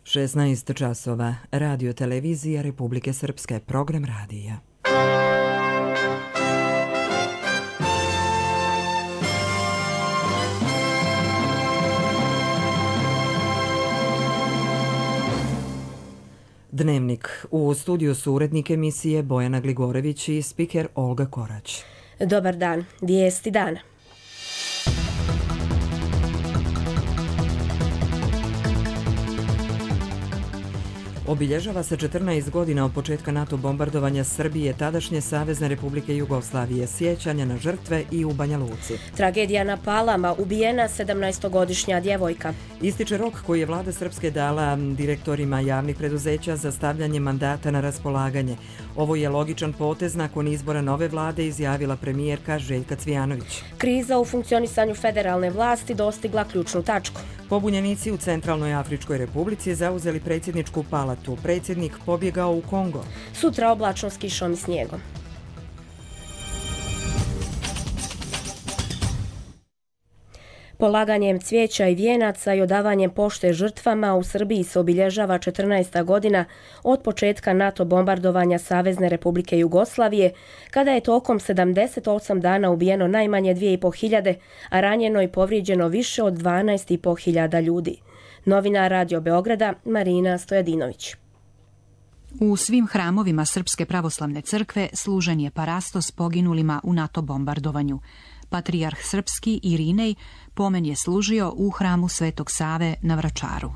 16 časova. Radio televizija Republike Srpske. Program radija. Dnevnik. U studiju su urednik emisije Bojana Gligorević i spiker Olga Korać. Dobar dan. Vijesti dana. Obilježava se 14 godina od početka NATO bombardovanja Srbije, tadašnje Savezne Republike Jugoslavije, sjećanja na žrtve i u Banja Luci. Tragedija na Palama, ubijena 17-godišnja djevojka. Ističe rok koji je vlada Srpske dala direktorima javnih preduzeća za stavljanje mandata na raspolaganje. Ovo je logičan potez nakon izbora nove vlade, izjavila premijerka Željka Cvijanović. Kriza u funkcionisanju federalne vlasti dostigla ključnu tačku. Pobunjenici u Centralnoj Afričkoj Republici zauzeli predsjedničku palatu. Predsjednik pobjegao u Kongo. Sutra oblačno s kišom i snijegom. Polaganjem cvijeća i vijenaca i odavanjem pošte žrtvama u Srbiji se obilježava 14. godina od početka NATO bombardovanja Savezne Republike Jugoslavije, kada je tokom 78 dana ubijeno najmanje 2500, a ranjeno i povrijeđeno više od 12.500 ljudi. Novinar Radio Beograda Marina Stojadinović. U svim hramovima Srpske pravoslavne crkve služen je parastos poginulima u NATO bombardovanju. Patrijarh srpski Irinej pomen je služio u hramu Svetog Save na Vračaru.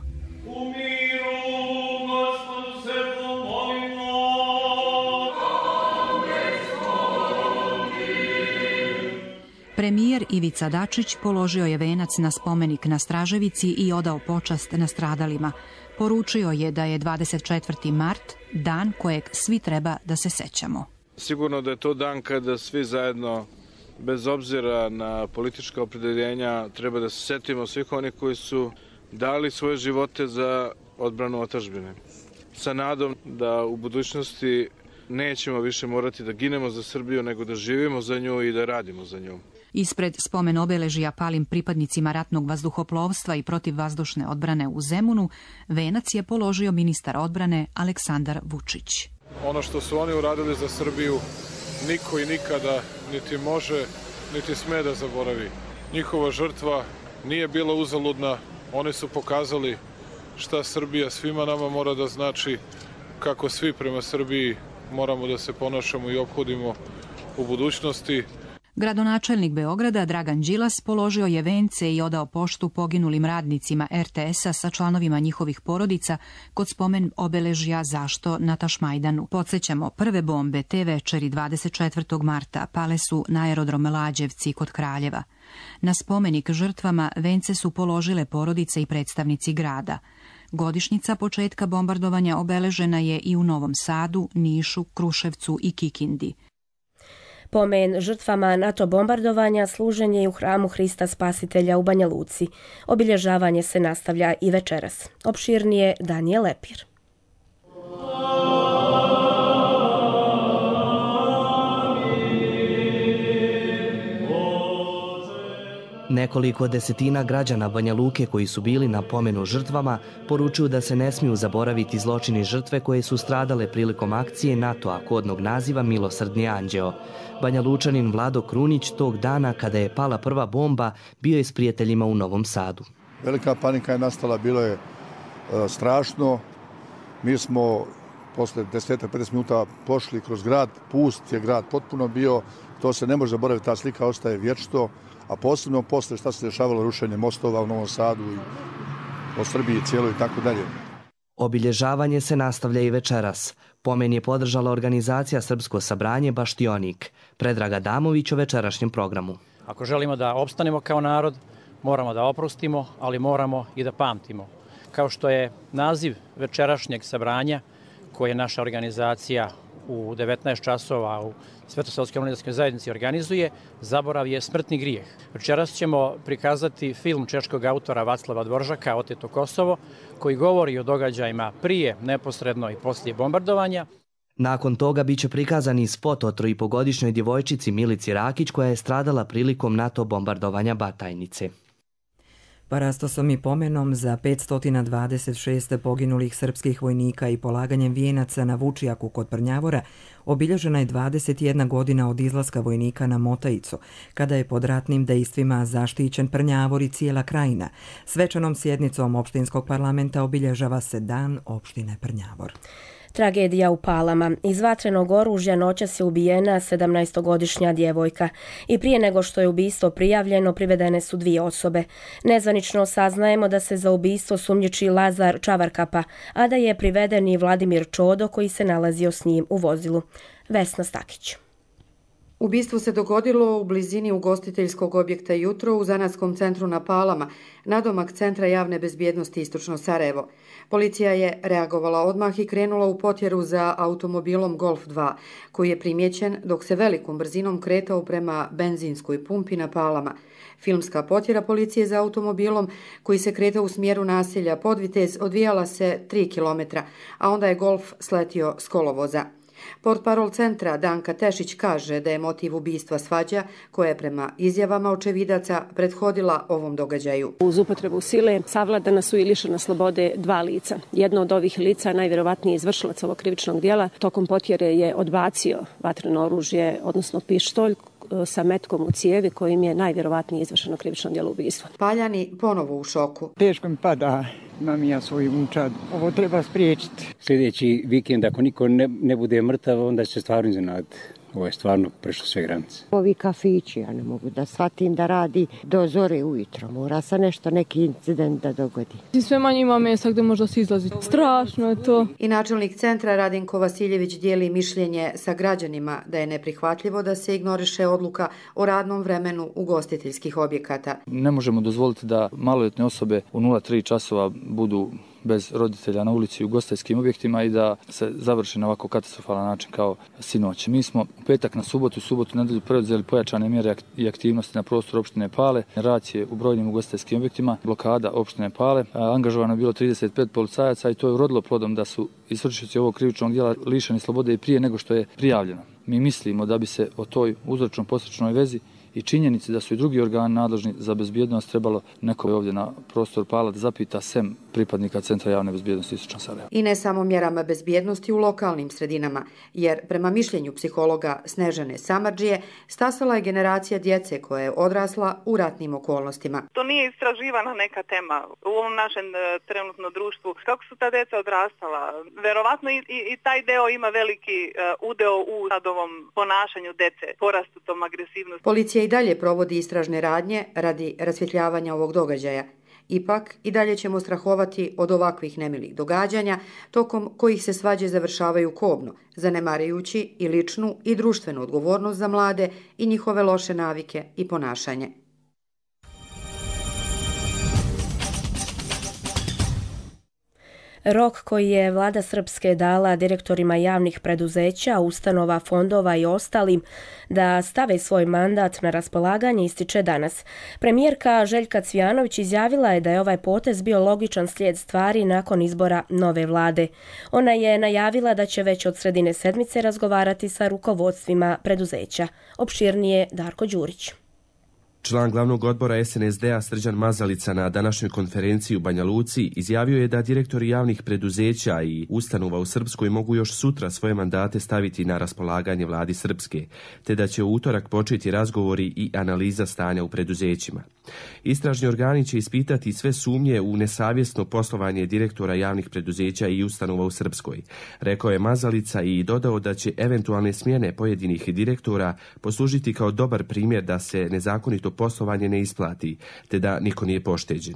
Premijer Ivica Dačić položio je venac na spomenik na Straževici i odao počast nastradalima. Poručio je da je 24. mart dan kojeg svi treba da se sećamo. Sigurno da je to dan kada svi zajedno, bez obzira na politička opredjeljenja, treba da se setimo svih onih koji su dali svoje živote za odbranu otadžbine. Sa nadom da u budućnosti nećemo više morati da ginemo za Srbiju, nego da živimo za nju i da radimo za nju. Ispred spomen obeležja palim pripadnicima ratnog vazduhoplovstva i protivvazdušne odbrane u Zemunu, venac je položio ministar odbrane Aleksandar Vučić. Ono što su oni uradili za Srbiju, niko i nikada niti može, niti sme da zaboravi. Njihova žrtva nije bila uzaludna, oni su pokazali šta Srbija svima nama mora da znači, kako svi prema Srbiji moramo da se ponašamo i ophodimo u budućnosti. Gradonačelnik Beograda Dragan Đilas položio je vence i odao poštu poginulim radnicima RTS-a sa članovima njihovih porodica kod spomen obeležja Zašto na Tašmajdanu. Podsjećamo, prve bombe te večeri 24. marta pale su na aerodrom Lađevci kod Kraljeva. Na spomenik žrtvama vence su položile porodice i predstavnici grada. Godišnjica početka bombardovanja obeležena je i u Novom Sadu, Nišu, Kruševcu i Kikindi. Pomen žrtvama NATO bombardovanja služen je i u hramu Hrista Spasitelja u Banja Luci. Obilježavanje se nastavlja i večeras. Opširnije Danijel Lepir. Nekoliko desetina građana Banja Luke koji su bili na pomenu žrtvama poručuju da se ne smiju zaboraviti zločini žrtve koje su stradale prilikom akcije NATO-a kodnog naziva Milosrdni anđeo. Banja Lučanin Vlado Krunić tog dana kada je pala prva bomba bio je s prijateljima u Novom Sadu. Velika panika je nastala, bilo je strašno. Mi smo posle 10-15 minuta pošli kroz grad, pust je grad potpuno bio, to se ne može zaboraviti, ta slika ostaje vječno. A posebno posle šta se dešavalo, rušenje mostova u Novom Sadu i o Srbiji cijeloj i tako dalje. Obilježavanje se nastavlja i večeras. Pomen je podržala organizacija Srpsko sabranje Baštionik. Predrag Adamović o večerašnjem programu. Ako želimo da opstanemo kao narod, moramo da oprostimo, ali moramo i da pamtimo. Kao što je naziv večerašnjeg sabranja, koje je naša organizacija u 19 časova u Svetosavskoj omladinskoj zajednici organizuje, zaborav je smrtni grijeh. Večeras ćemo prikazati film češkog autora Vaclava Dvoržaka Oteto Kosovo, koji govori o događajima prije, neposredno i poslije bombardovanja. Nakon toga biće prikazan i spot o 3,5-godišnjoj djevojčici Milici Rakić koja je stradala prilikom NATO bombardovanja Batajnice. Parastosom i pomenom za 526 poginulih srpskih vojnika i polaganjem vijenaca na Vučijaku kod Prnjavora obilježena je 21 godina od izlaska vojnika na Motajicu, kada je pod ratnim dejstvima zaštićen Prnjavor i cijela krajina. Svečanom sjednicom opštinskog parlamenta obilježava se Dan opštine Prnjavor. Tragedija u Palama. Iz vatrenog oružja noćas je ubijena 17-godišnja djevojka i prije nego što je ubistvo prijavljeno privedene su 2 osobe. Nezvanično saznajemo da se za ubistvo sumnjiči Lazar Čavarkapa, a da je priveden i Vladimir Čodo koji se nalazio s njim u vozilu. Vesna Stakić. Ubistvo se dogodilo u blizini ugostiteljskog objekta jutro u zanatskom centru na Palama, nadomak Centra javne bezbjednosti Istočno Sarajevo. Policija je reagovala odmah i krenula u potjeru za automobilom Golf 2, koji je primjećen dok se velikom brzinom kretao prema benzinskoj pumpi na Palama. Filmska potjera policije za automobilom koji se kretao u smjeru naselja Podvitez odvijala se 3 km, a onda je Golf sletio s kolovoza. Portparol centra Danka Tešić kaže da je motiv ubistva svađa koja je prema izjavama očevidaca prethodila ovom događaju. Uz upotrebu sile savladana su i lišena slobode 2 lica. Jedno od ovih lica, najvjerovatniji izvršilac ovog krivičnog djela, tokom potjere je odbacio vatreno oružje, odnosno pištolj, sa metkom u cijevi kojim je najvjerovatnije izvršeno krivično djelo ubistva. Paljani ponovo u šoku. Teško mi pada, imam ja svoju unčad. Ovo treba spriječiti. Sljedeći vikend, ako niko ne bude mrtav, onda će se stvarno iznenaditi. Ovo je stvarno prešlo sve granice. Ovi kafići, ja ne mogu da shvatim da radi do zore ujutro. Mora se neki incident da dogodi. Sve manje ima mjesta gdje možda se izlazi. Strašno je to. I načelnik centra Radinko Vasiljević dijeli mišljenje sa građanima da je neprihvatljivo da se ignoriše odluka o radnom vremenu ugostiteljskih objekata. Ne možemo dozvoliti da maloljetne osobe u 03 časova budu bez roditelja na ulici u ugostiteljskim objektima i da se završi na ovako katastrofalan način kao sinoć. Mi smo u petak na subotu nedelju preuzeli pojačane mjere i aktivnosti na prostoru opštine Pale, racije u brojnim ugostiteljskim objektima, blokada opštine Pale. Angažovano je bilo 35 policajaca i to je urodilo plodom da su izvršioci ovog krivičnog djela lišeni slobode i prije nego što je prijavljeno. Mi mislimo da bi se o toj uzročno-posljedičnoj vezi i činjenici da su i drugi organi nadležni za bezbjednost trebalo neko ovdje na prostor Pala da zapita sem pripadnika Centra javne bezbjednosti Istočno Sarajevo. I ne samo mjerama bezbjednosti u lokalnim sredinama, jer prema mišljenju psihologa Snežane Samardžije stasala je generacija djece koja je odrasla u ratnim okolnostima. To nije istraživana neka tema u ovom našem trenutno društvu. Kako su ta djeca odrastala? Verovatno i taj deo ima veliki udeo u ovom ponašanju djece, porastu tom agresivnosti. Policija i dalje provodi istražne radnje radi rasvjetljavanja ovog događaja. Ipak, i dalje ćemo strahovati od ovakvih nemilih događanja, tokom kojih se svađe završavaju kobno, zanemarujući i ličnu i društvenu odgovornost za mlade i njihove loše navike i ponašanje. Rok koji je vlada Srpske dala direktorima javnih preduzeća, ustanova, fondova i ostalim da stave svoj mandat na raspolaganje ističe danas. Premijerka Željka Cvijanović izjavila je da je ovaj potez bio logičan slijed stvari nakon izbora nove vlade. Ona je najavila da će već od sredine sedmice razgovarati sa rukovodstvima preduzeća. Opširnije Darko Đurić. Član glavnog odbora SNSD-a Srđan Mazalica na današnjoj konferenciji u Banja Luci izjavio je da direktori javnih preduzeća i ustanova u Srpskoj mogu još sutra svoje mandate staviti na raspolaganje vladi Srpske, te da će u utorak početi razgovori i analiza stanja u preduzećima. Istražni organi će ispitati sve sumnje u nesavjesno poslovanje direktora javnih preduzeća i ustanova u Srpskoj, rekao je Mazalica i dodao da će eventualne smjene pojedinih direktora poslužiti kao dobar primjer da se nezakonito poslovanje ne isplati, te da niko nije pošteđen.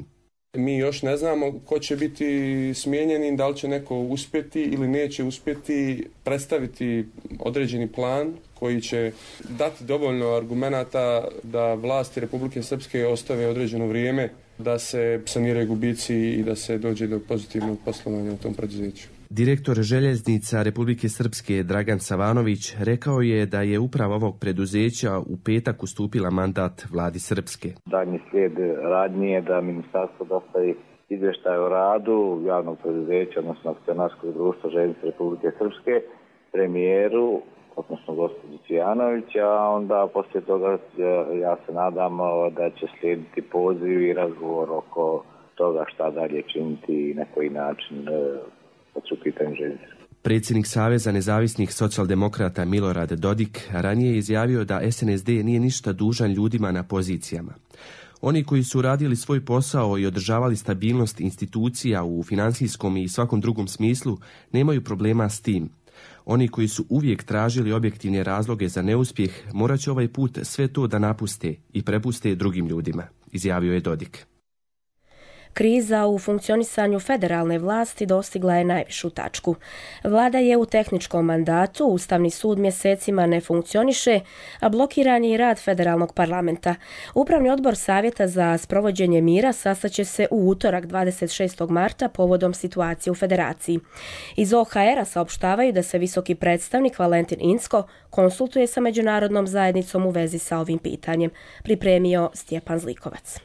Mi još ne znamo ko će biti smijenjeni, da li će neko uspjeti ili neće uspjeti predstaviti određeni plan koji će dati dovoljno argumenata da vlasti Republike Srpske ostave određeno vrijeme da se saniraju gubici i da se dođe do pozitivnog poslovanja u tom preduzeću. Direktor željeznica Republike Srpske Dragan Savanović rekao je da je uprava ovog preduzeća u petak ustupila mandat vladi Srpske. Daljnji slijed radnji je da ministarstvo dostavi izvještaj o radu javnog preduzeća, odnosno akcionarskog društva Željeznice Republike Srpske, premijeru, odnosno gospođu Cvijanović, a onda poslije toga ja se nadam da će slijediti poziv i razgovor oko toga šta dalje činiti i na koji način kad su pitanje željeznice. Predsjednik Saveza nezavisnih socijaldemokrata Milorad Dodik ranije je izjavio da SNSD nije ništa dužan ljudima na pozicijama. Oni koji su radili svoj posao i održavali stabilnost institucija u financijskom i svakom drugom smislu nemaju problema s tim. Oni koji su uvijek tražili objektivne razloge za neuspjeh morat će ovaj put sve to da napuste i prepuste drugim ljudima, izjavio je Dodik. Kriza u funkcionisanju federalne vlasti dostigla je najvišu tačku. Vlada je u tehničkom mandatu, Ustavni sud mjesecima ne funkcioniše, a blokiran je i rad federalnog parlamenta. Upravni odbor Savjeta za sprovođenje mira sastaće se u utorak 26. marta povodom situacije u federaciji. Iz OHR-a saopštavaju da se visoki predstavnik Valentin Incko konsultuje sa međunarodnom zajednicom u vezi sa ovim pitanjem, pripremio Stjepan Zlikovac.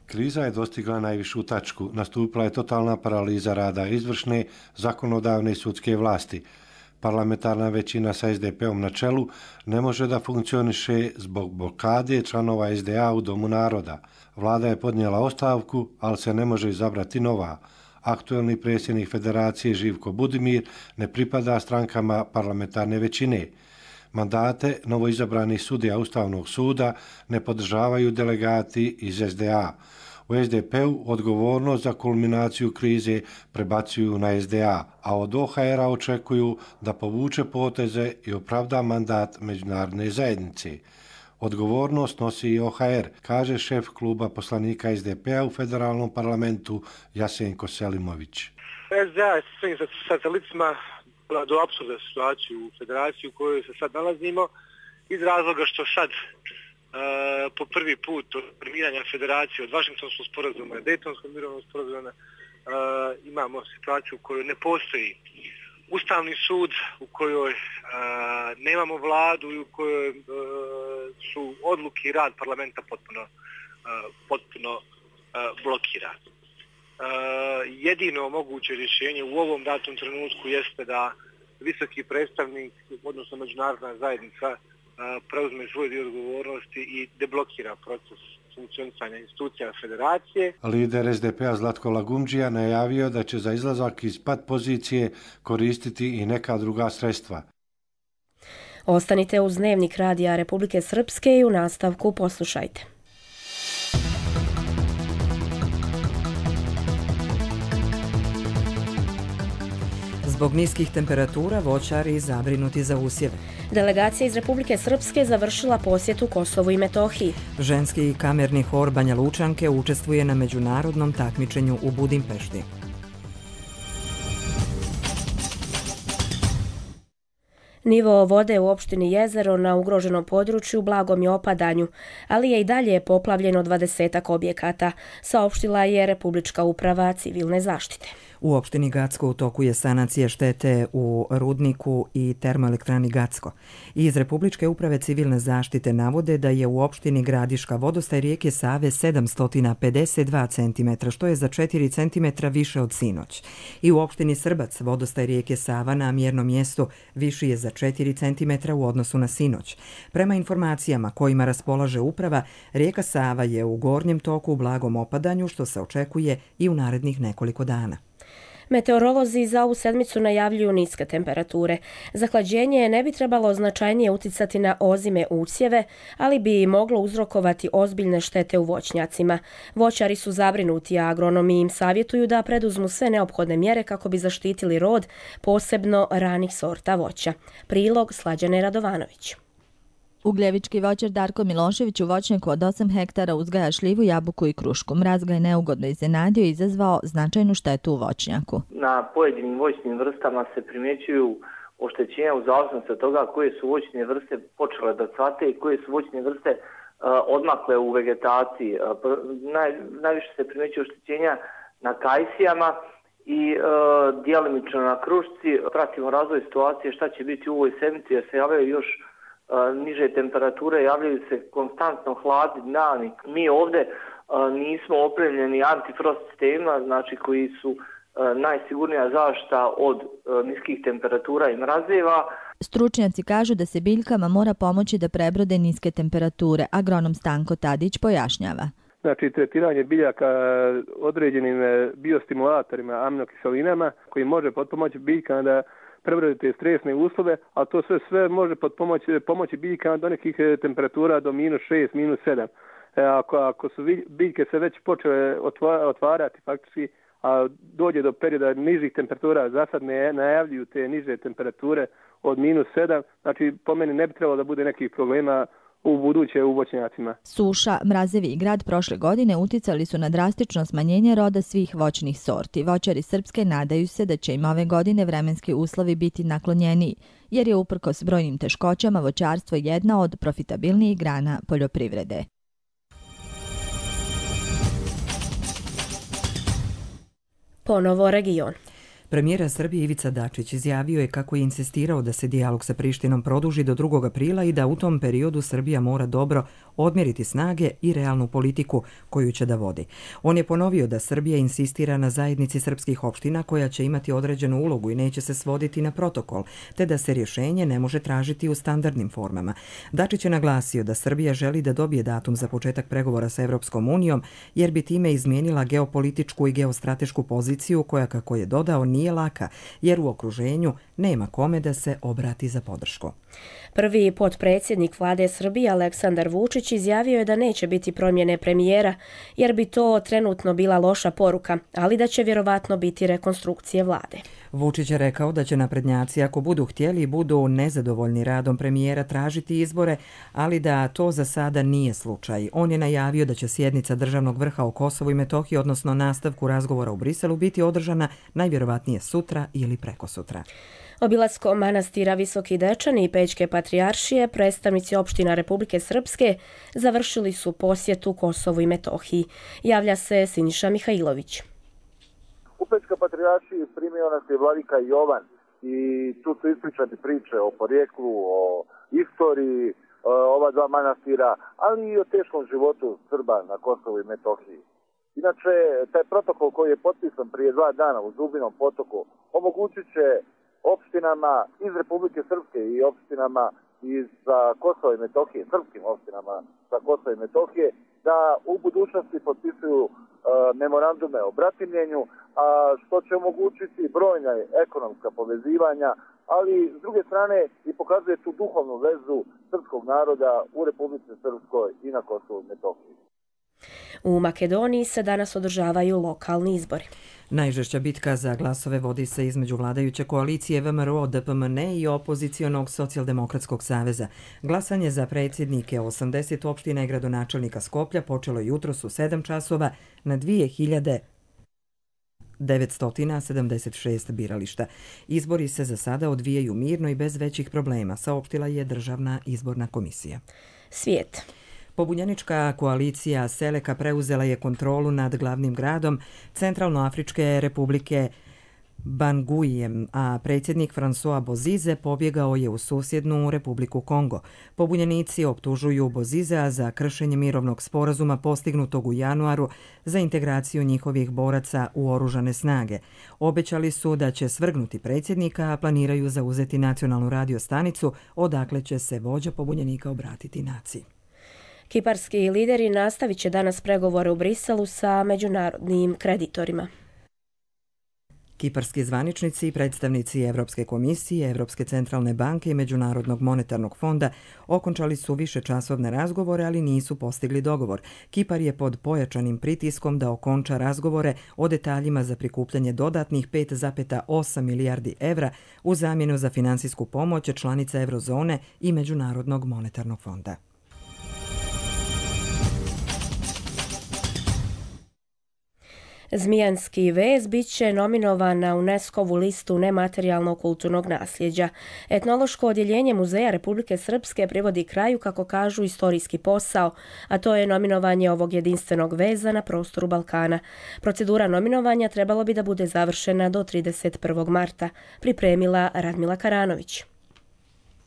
Kriza je dostigla najvišu tačku. Nastupila je totalna paraliza rada izvršne, zakonodavne i sudske vlasti. Parlamentarna većina sa SDP-om na čelu ne može da funkcioniše zbog blokade članova SDA u Domu naroda. Vlada je podnijela ostavku, ali se ne može izabrati nova. Aktuelni predsjednik federacije Živko Budimir ne pripada strankama parlamentarne većine. Mandate novoizabranih sudija Ustavnog suda ne podržavaju delegati iz SDA. U SDP-u odgovornost za kulminaciju krize prebacuju na SDA, a od OHR-a očekuju da povuče poteze i opravda mandat međunarodne zajednice. Odgovornost nosi i OHR, kaže šef kluba poslanika SDP-a u federalnom parlamentu Jasenko Selimović. SDA je svojim satelicima do apsurda situaciju u federaciji u kojoj se sad nalazimo, iz razloga što sad po prvi put od formiranja federacije od Vašingtonskog sporazuma i Dejtonskog mirovnog sporazuma imamo situaciju u kojoj ne postoji Ustavni sud, u kojoj nemamo vladu i u kojoj su odluke i rad parlamenta potpuno blokirani. Jedino moguće rješenje u ovom datom trenutku jeste da visoki predstavnik, odnosno međunarodna zajednica, preuzme svoj dio odgovornosti i deblokira proces funkcionisanja institucija federacije. Lider SDP-a Zlatko Lagumdžija najavio da će za izlazak iz pat pozicije koristiti i neka druga sredstva. Ostanite uz Dnevnik Radija Republike Srpske i u nastavku poslušajte. Zbog niskih temperatura voćari zabrinuti za usjeve. Delegacija iz Republike Srpske završila posjetu Kosovu i Metohiji. Ženski kamerni hor Banja Lučanke učestvuje na međunarodnom takmičenju u Budimpešti. Nivo vode u opštini Jezero na ugroženom području blagom je opadanju, ali je i dalje poplavljeno 20 objekata, saopštila je Republička uprava civilne zaštite. U opštini Gacko u toku je sanacija štete u rudniku i termoelektrani Gacko. Iz Republičke uprave civilne zaštite navode da je u opštini Gradiška vodostaj rijeke Save 752 cm, što je za 4 cm više od sinoć. I u opštini Srbac vodostaj rijeke Sava na mjernom mjestu viši je za 4 cm u odnosu na sinoć. Prema informacijama kojima raspolaže uprava, rijeka Sava je u gornjem toku u blagom opadanju, što se očekuje i u narednih nekoliko dana. Meteorolozi za ovu sedmicu najavljuju niske temperature. Zahlađenje ne bi trebalo značajnije uticati na ozime usjeve, ali bi moglo uzrokovati ozbiljne štete u voćnjacima. Voćari su zabrinuti, a agronomi im savjetuju da preduzmu sve neophodne mjere kako bi zaštitili rod, posebno ranih sorta voća. Prilog Slađane Radovanović. Ugljevički voćar Darko Milošević u voćnjaku od 8 hektara uzgaja šljivu, jabuku i krušku. Mraz ga je neugodno iznenadio i izazvao značajnu štetu u voćnjaku. Na pojedinim voćnim vrstama se primjećuju oštećenja u zavisnosti od toga koje su voćne vrste počele da cvate i koje su voćne vrste odmakle u vegetaciji. Najviše se primjećuju oštećenja na kajsijama i djelimično na krušci. Pratimo razvoj situacije šta će biti u ovoj sedmici jer se javljaju još niže temperature, javljaju se konstantno hladni dani. Mi ovdje nismo opremljeni antifrost sistemima, znači koji su najsigurnija zaštita od niskih temperatura i mrazeva. Stručnjaci kažu da se biljkama mora pomoći da prebrode niske temperature. Agronom Stanko Tadić pojašnjava. Znači, tretiranje biljaka određenim biostimulatorima, aminokiselinama, koji može potpomoći biljkama da prebrode te stresne uslove, a to sve može pomoći biljkama do nekih temperatura do -6, -7. Ako su biljke se već počele otvarati faktički, a dođe do perioda nižih temperatura, za sad ne najavljuju te niže temperature od -7, znači po meni ne bi trebalo da bude nekih problema u buduće u voćnjacima. Suša, mrazevi i grad prošle godine uticali su na drastično smanjenje roda svih voćnih sorti. Voćari Srpske nadaju se da će im ove godine vremenski uslovi biti naklonjeniji, jer je uprkos brojnim teškoćama voćarstvo jedna od profitabilnijih grana poljoprivrede. Ponovo region. Premijera Srbije Ivica Dačić izjavio je kako je insistirao da se dijalog sa Prištinom produži do 2. aprila i da u tom periodu Srbija mora dobro odmjeriti snage i realnu politiku koju će da vodi. On je ponovio da Srbija insistira na zajednici srpskih opština koja će imati određenu ulogu i neće se svoditi na protokol, te da se rješenje ne može tražiti u standardnim formama. Dačić je naglasio da Srbija želi da dobije datum za početak pregovora sa Evropskom unijom, jer bi time izmijenila geopolitičku i geostratešku poziciju koja, kako je dodao, nije laka, jer u okruženju nema kome da se obrati za podršku. Prvi potpredsjednik vlade Srbije Aleksandar Vučić izjavio je da neće biti promjene premijera, jer bi to trenutno bila loša poruka, ali da će vjerovatno biti rekonstrukcije vlade. Vučić je rekao da će naprednjaci, ako budu htjeli i budu nezadovoljni radom premijera, tražiti izbore, ali da to za sada nije slučaj. On je najavio da će sjednica državnog vrha o Kosovu i Metohiji, odnosno nastavku razgovora u Briselu, biti održana najvjerovatnije sutra ili prekosutra. Obilaskom manastira Visoki Dečani i Pećke patrijaršije, predstavnici opština Republike Srpske završili su posjetu Kosovu i Metohiji. Javlja se Siniša Mihajlović. U Pećkoj patrijaršiji primio nas je vladika Jovan i tu su ispričane priče o porijeklu, o istoriji ova dva manastira, ali i o teškom životu Srba na Kosovu i Metohiji. Inače, taj protokol koji je potpisan prije 2 dana u Zubinom potoku omogućit će opštinama iz Republike Srpske i opštinama iz Kosova i Metohije, srpskim opštinama sa Kosova i Metohije, da u budućnosti potpisuju memorandume o bratimljenju, a što će omogućiti brojna ekonomska povezivanja, ali s druge strane i pokazuje tu duhovnu vezu srpskog naroda u Republici Srpskoj i na Kosovu i Metohiji. U Makedoniji se danas održavaju lokalni izbori. Najžešća bitka za glasove vodi se između vladajuće koalicije VMRO-DPMN i opozicionog Socijaldemokratskog saveza. Glasanje za predsjednike 80 opština i gradonačelnika Skoplja počelo jutros u 7 časova na 2976 birališta. Izbori se za sada odvijaju mirno i bez većih problema, saopštila je Državna izborna komisija. Svijet. Pobunjenička koalicija Seleka preuzela je kontrolu nad glavnim gradom Centralnoafričke republike Banguijem, a predsjednik François Bozize pobjegao je u susjednu Republiku Kongo. Pobunjenici optužuju Bozizea za kršenje mirovnog sporazuma postignutog u januaru za integraciju njihovih boraca u oružane snage. Obećali su da će svrgnuti predsjednika, a planiraju zauzeti nacionalnu radiostanicu, odakle će se vođa pobunjenika obratiti naciji. Kiparski lideri nastavit će danas pregovore u Briselu sa međunarodnim kreditorima. Kiparski zvaničnici i predstavnici Evropske komisije, Evropske centralne banke i Međunarodnog monetarnog fonda okončali su višečasovne razgovore, ali nisu postigli dogovor. Kipar je pod pojačanim pritiskom da okonča razgovore o detaljima za prikupljanje dodatnih 5,8 milijardi evra u zamjenu za finansijsku pomoć članica Eurozone i Međunarodnog monetarnog fonda. Zmijanski vez bit će nominovan na UNESCO-vu listu nematerijalnog kulturnog nasljeđa. Etnološko odjeljenje Muzeja Republike Srpske privodi kraju, kako kažu, istorijski posao, a to je nominovanje ovog jedinstvenog veza na prostoru Balkana. Procedura nominovanja trebalo bi da bude završena do 31. marta, pripremila Radmila Karanović.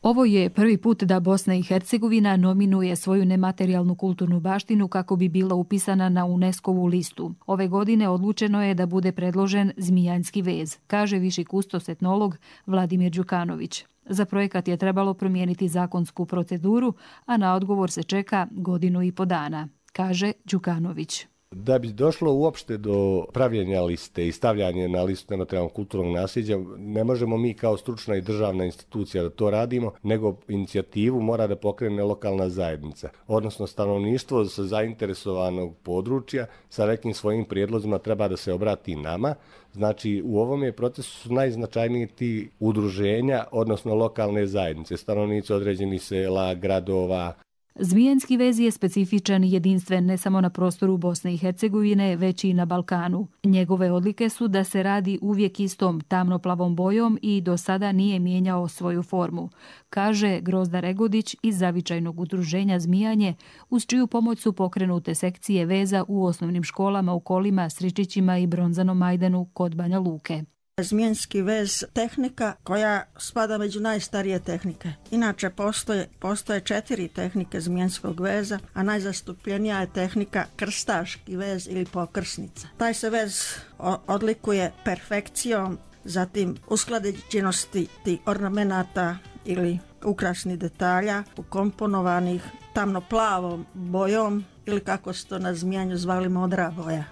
Ovo je prvi put da Bosna i Hercegovina nominuje svoju nematerijalnu kulturnu baštinu kako bi bila upisana na UNESCO-vu listu. Ove godine odlučeno je da bude predložen Zmijanski vez, kaže viši kustos etnolog Vladimir Đukanović. Za projekat je trebalo promijeniti zakonsku proceduru, a na odgovor se čeka 1,5 godina, kaže Đukanović. Da bi došlo uopšte do pravljenja liste i stavljanja na listu nematerijalnog kulturnog nasljeđa, ne možemo mi kao stručna i državna institucija da to radimo, nego inicijativu mora da pokrene lokalna zajednica, odnosno stanovništvo sa zainteresovanog područja sa nekim svojim prijedlozima treba da se obrati nama. Znači, u ovom je procesu su najznačajniji ti udruženja, odnosno lokalne zajednice, stanovnici određenih sela, gradova. Zmijanski vez je specifičan i jedinstven ne samo na prostoru Bosne i Hercegovine, već i na Balkanu. Njegove odlike su da se radi uvijek istom tamnoplavom bojom i do sada nije mijenjao svoju formu, kaže Grozda Regodić iz zavičajnog udruženja Zmijanje, uz čiju pomoć su pokrenute sekcije veza u osnovnim školama u Kolima, Sričićima i Bronzanom Majdanu kod Banja Luke. Zmijanski vez tehnika koja spada među najstarije tehnike. Inače postoje 4 tehnike zmijanskog veza, a najzastupljenija je tehnika krstaški vez ili pokrsnica. Taj se vez odlikuje perfekcijom, zatim usklađenosti tih ornamenata ili ukrasnih detalja ukomponovanih tamnoplavom bojom ili kako se to na Zmijanju zvali modra boja.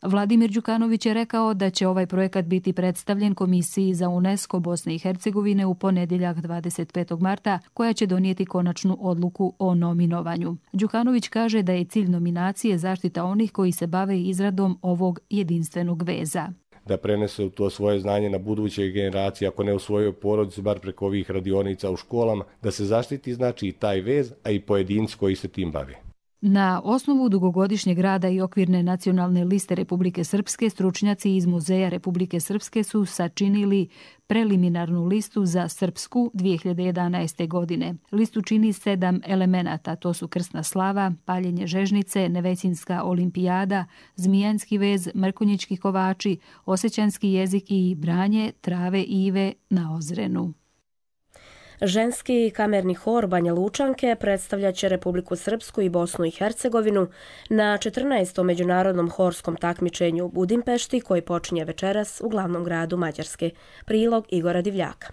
Vladimir Đukanović je rekao da će ovaj projekat biti predstavljen Komisiji za UNESCO Bosne i Hercegovine u ponedjeljak 25. marta, koja će donijeti konačnu odluku o nominovanju. Đukanović kaže da je cilj nominacije zaštita onih koji se bave izradom ovog jedinstvenog veza. Da prenese to svoje znanje na buduće generacije, ako ne u svojoj porodici, bar preko ovih radionica u školama, da se zaštiti znači i taj vez, a i pojedinci koji se tim bave. Na osnovu dugogodišnjeg rada i okvirne nacionalne liste Republike Srpske, stručnjaci iz Muzeja Republike Srpske su sačinili preliminarnu listu za Srpsku 2011. godine. Listu čini 7 elemenata, to su krsna slava, paljenje žežnice, Nevećinska olimpijada, Zmijanski vez, Mrkonjićki kovači, osjećanski jezik i branje trave ive na Ozrenu. Ženski kamerni hor Banja Lučanke predstavljat će Republiku Srpsku i Bosnu i Hercegovinu na 14. međunarodnom horskom takmičenju u Budimpešti koji počinje večeras u glavnom gradu Mađarske. Prilog Igora Divljaka.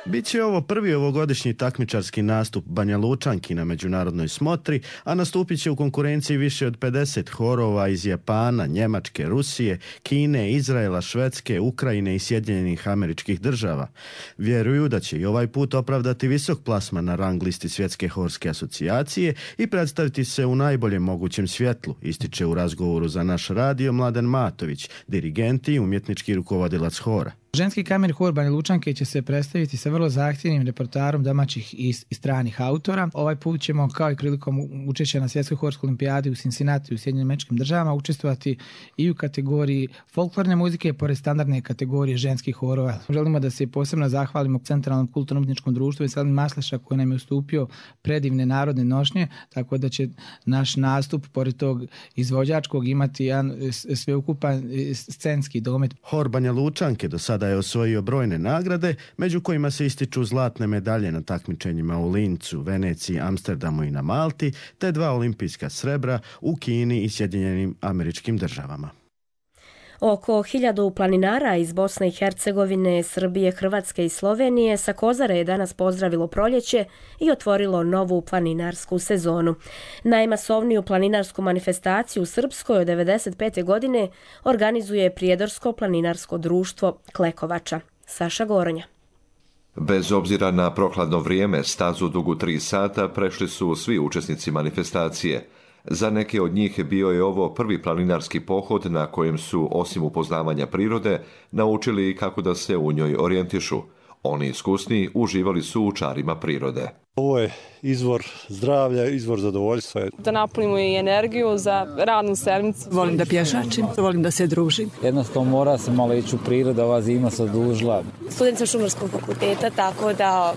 Biće ovo prvi ovogodišnji takmičarski nastup Banja Lučanki na međunarodnoj smotri, a nastupit će u konkurenciji više od 50 horova iz Japana, Njemačke, Rusije, Kine, Izraela, Švedske, Ukrajine i Sjedinjenih Američkih Država. Vjeruju da će i ovaj put opravdati visok plasman na rang listi Svjetske horske asocijacije i predstaviti se u najboljem mogućem svjetlu, ističe u razgovoru za naš radio Mladen Matović, dirigent i umjetnički rukovodilac hora. Ženski kamerni hor Banja Lučanke će se predstaviti sa vrlo zahtjevnim repertoarom domaćih i stranih autora. Ovaj put ćemo, kao i prilikom učešća na Svjetskoj horskoj olimpijadi u Cincinnati u Sjedinjenim Američkim Državama, učestvovati i u kategoriji folklorne muzike, pored standardne kategorije ženskih horova. Želimo da se posebno zahvalimo Centralnom kulturno-umjetničkom društvu i Veselin Masleša koji nam je ustupio predivne narodne nošnje, tako da će naš nastup, pored tog izvođačkog, imati jedan sveukupan scenski domet. Hor Banja Lučanke do sada je osvojio brojne nagrade, među kojima se ističu zlatne medalje na takmičenjima u Lincu, Veneciji, Amsterdamu i na Malti, te 2 olimpijska srebra u Kini i Sjedinjenim Američkim Državama. Oko 1000 planinara iz Bosne i Hercegovine, Srbije, Hrvatske i Slovenije sa Kozare je danas pozdravilo proljeće i otvorilo novu planinarsku sezonu. Najmasovniju planinarsku manifestaciju u Srpskoj od 1995. godine organizuje Prijedorsko planinarsko društvo Klekovača. Saša Goronja. Bez obzira na prohladno vrijeme, stazu dugu 3 sata prešli su svi učesnici manifestacije. Za neke od njih bio je ovo prvi planinarski pohod na kojem su, osim upoznavanja prirode, naučili kako da se u njoj orijentišu. Oni iskusni uživali su u čarima prirode. Ovo je izvor zdravlja, izvor zadovoljstva. Da napunimo i energiju za radnu sedmicu. Volim da pješačim, volim da se družim. Jednostavno mora se malo ići u prirodu, ova zima se odužila. Student sam Šumarskog fakulteta, tako da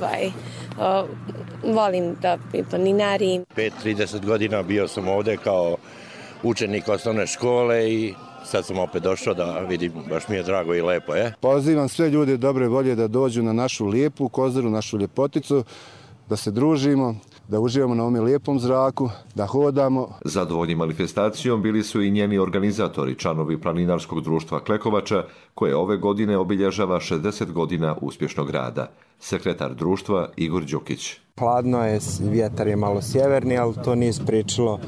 volim da planinarim. 5-30 godina bio sam ovdje kao učenik osnovne škole i sad sam opet došao da vidim, baš mi je drago i lepo. Pozivam sve ljude dobre volje da dođu na našu lijepu Kozaru, našu ljepoticu, da se družimo, da uživamo na ovom lijepom zraku, da hodamo. Zadovoljni manifestacijom bili su i njeni organizatori, članovi Planinarskog društva Klekovača, koje ove godine obilježava 60 godina uspješnog rada. Sekretar društva Igor Đukić. Hladno je, vjetar je malo sjeverni, ali to nije spriječilo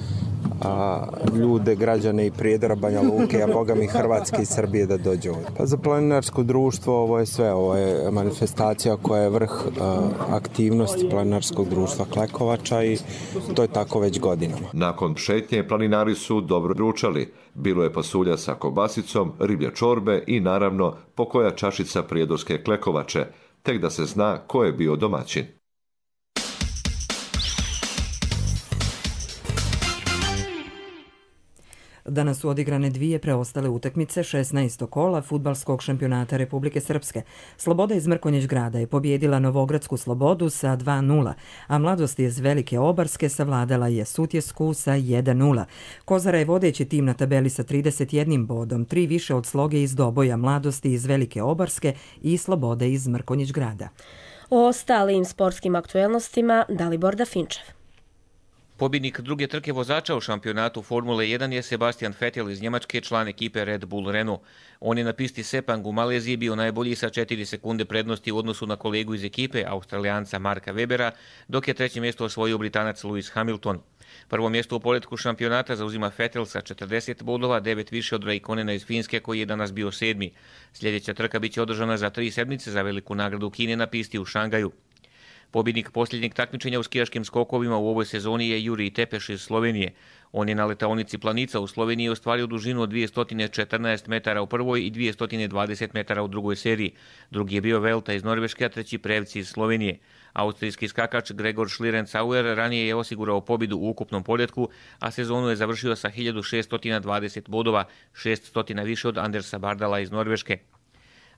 ljude, građane i Prijedora, Banja Luke, a boga mi Hrvatske i Srbije da dođu ovdje. Pa za planinarsko društvo ovo je sve, ovo je manifestacija koja je vrh aktivnosti Planinarskog društva Klekovača i to je tako već godinama. Nakon šetnje planinari su dobro ručali. Bilo je pasulja sa kobasicom, riblje čorbe i naravno pokoja čašica prijedorske Klekovače, tek da se zna ko je bio domaćin. Danas su odigrane dvije preostale utakmice 16. kola fudbalskog šampionata Republike Srpske. Sloboda iz Mrkonjić Grada je pobjedila Novogradsku Slobodu sa 2:0, a Mladost iz Velike Obarske savladala je Sutjesku sa 1:0. Kozara je vodeći tim na tabeli sa 31 bodom, 3 više od Sloge iz Doboja, Mladosti iz Velike Obarske i Slobode iz Mrkonjić Grada. O ostalim sportskim aktuelnostima Dalibor Dafinčev. Pobjednik druge trke vozača u šampionatu Formule 1 je Sebastian Vettel iz Njemačke, član ekipe Red Bull Renault. On je na pisti Sepang u Maleziji bio najbolji sa 4 sekunde prednosti u odnosu na kolegu iz ekipe, Australijanca Marka Webera, dok je treće mjesto osvojio Britanac Lewis Hamilton. Prvo mjesto u poretku šampionata zauzima Vettel sa 40 bodova, 9 više od Raikkonena iz Finske koji je danas bio 7. Sljedeća trka biće održana za 3 sedmice za veliku nagradu Kine na pisti u Šangaju. Pobjednik posljednjeg takmičenja u skijaškim skokovima u ovoj sezoni je Jurij Tepeš iz Slovenije. On je na letaonici Planica u Sloveniji ostvario dužinu od 214 metara u prvoj i 220 metara u drugoj seriji. Drugi je bio Velta iz Norveške, a treći Prevci iz Slovenije. Austrijski skakač Gregor Schlierencauer ranije je osigurao pobjedu u ukupnom poretku, a sezonu je završio sa 1620 bodova, 600 više od Andersa Bardala iz Norveške.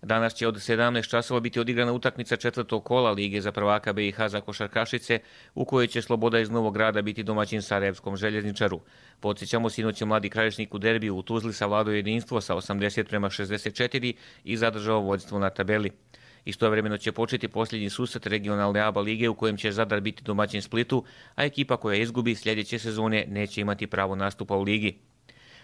Danas će od 17 časova biti odigrana utakmica četvrtog kola Lige za prvaka BiH za košarkašice, u kojoj će Sloboda iz Novog Grada biti domaćin Sarajevskom željezničaru. Podsjećamo, sinoć je Mladi Krajišnik u derbiju u Tuzli savladao jedinstvo sa 80-64 i zadržao vođstvo na tabeli. Istovremeno će početi posljednji susret regionalne ABA lige u kojem će Zadar biti domaćin Splitu, a ekipa koja izgubi sljedeće sezone neće imati pravo nastupa u ligi.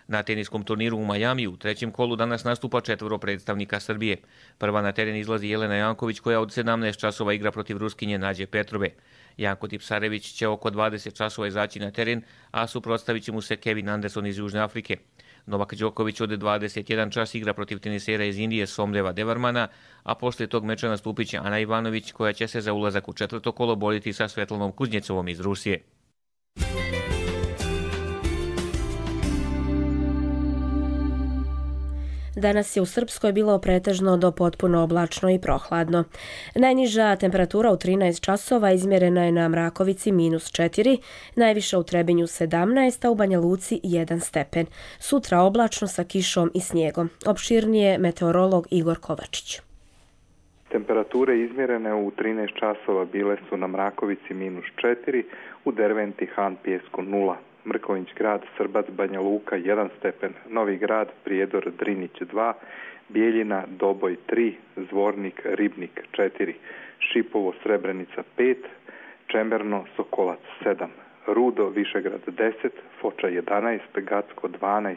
Na teniskom turniru u Majamiju u trećem kolu danas nastupa 4 predstavnika Srbije. Prva na teren izlazi Jelena Janković koja od 17 časova igra protiv Ruskinje Nađe Petrove. Janko Tipsarević će oko 20 časova izaći na teren, a suprotstavit će mu se Kevin Anderson iz Južne Afrike. Novak Đoković od 21 čas igra protiv tenisera iz Indije Somdeva Devarmana, a poslije tog meča nastupit će Ana Ivanović koja će se za ulazak u četvrto kolo boriti sa Svetlanom Kuznjecovom iz Rusije. Danas je u Srpskoj bilo pretežno do potpuno oblačno i prohladno. Najniža temperatura u 13 časova izmjerena je na Mrakovici -4, najviša u Trebinju 17, a u Banja Luci 1 stepen. Sutra oblačno sa kišom i snijegom. Opširnije meteorolog Igor Kovačić. Temperature izmjerene u 13 časova bile su na Mrakovici -4, u Derventi Han Pjesku 0. Mrkonjić Grad, Srbac, Banja Luka 1 stepen, Novi Grad, Prijedor, Drinić 2, Bijeljina, Doboj 3, Zvornik, Ribnik 4, Šipovo, Srebrenica 5, Čemerno, Sokolac 7, Rudo, Višegrad 10, Foča 11, Gacko 12,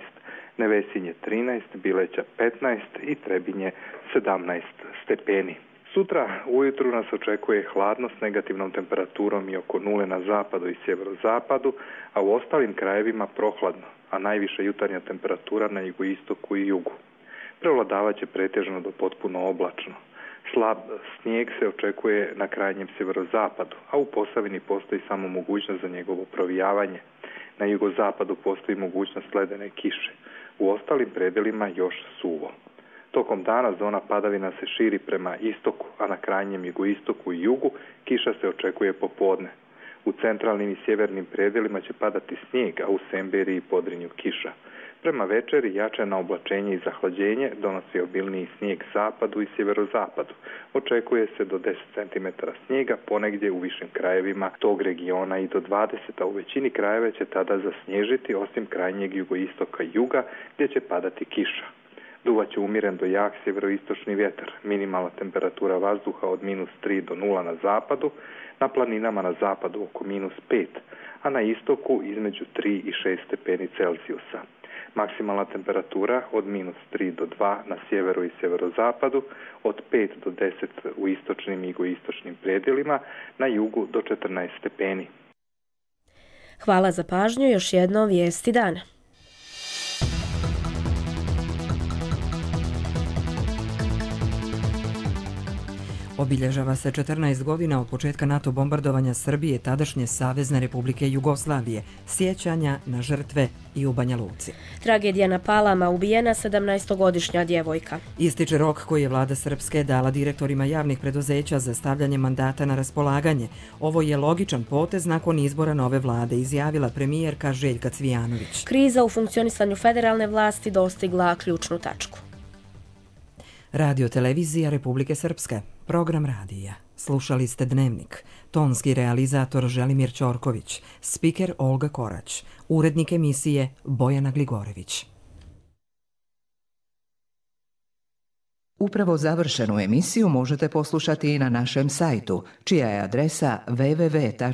Nevesinje 13, Bileća 15 i Trebinje 17 stepeni. Sutra ujutru nas očekuje hladno s negativnom temperaturom i oko 0 na zapadu i sjeverozapadu, a u ostalim krajevima prohladno, a najviša jutarnja temperatura na jugoistoku i jugu. Prevladavat će pretežno do potpuno oblačno. Slab snijeg se očekuje na krajnjem sjeverozapadu, a u Posavini postoji samo mogućnost za njegovo provijavanje. Na jugozapadu postoji mogućnost ledene kiše. U ostalim predelima još suvo. Tokom dana zona padavina se širi prema istoku, a na krajnjem jugoistoku i jugu kiša se očekuje popodne. U centralnim i sjevernim predelima će padati snijeg, a u Semberiji i Podrinju kiša. Prema večeri jačano oblačenje i zahlađenje donosi obilniji snijeg zapadu i sjeverozapadu. Očekuje se do 10 cm snijega, ponegdje u višim krajevima tog regiona i do 20, a u većini krajeva će tada zasnježiti, osim krajnjeg jugoistoka i juga gdje će padati kiša. Duvaće umiren do jak sjeveroistočni vjetar, minimalna temperatura vazduha od -3 do 0 na zapadu, na planinama na zapadu oko -5, a na istoku između 3 i 6 stepeni Celzijusa. Maksimalna temperatura od -3 do 2 na sjeveru i sjeverozapadu, od 5 do 10 u istočnim i jugoistočnim predjelima, na jugu do 14 stepeni. Hvala za pažnju, još jedno vijesti dana. Obilježava se 14 godina od početka NATO bombardovanja Srbije, tadašnje Savezne Republike Jugoslavije, sjećanja na žrtve i u Banja Luci. Tragedija na Palama, ubijena 17-godišnja djevojka. Ističe rok koji je vlada Srpske dala direktorima javnih preduzeća za stavljanje mandata na raspolaganje. Ovo je logičan potez nakon izbora nove vlade, izjavila premijerka Željka Cvijanović. Kriza u funkcionisanju federalne vlasti dostigla ključnu tačku. Radio televizija Republike Srpske. Program radija. Slušali ste Dnevnik. Tonski realizator Želimir Ćorković. Spiker Olga Korać. Urednik emisije Bojana Gligorević. Upravo završenu emisiju možete poslušati i na našem sajtu, čija je adresa www.rtrs.tv.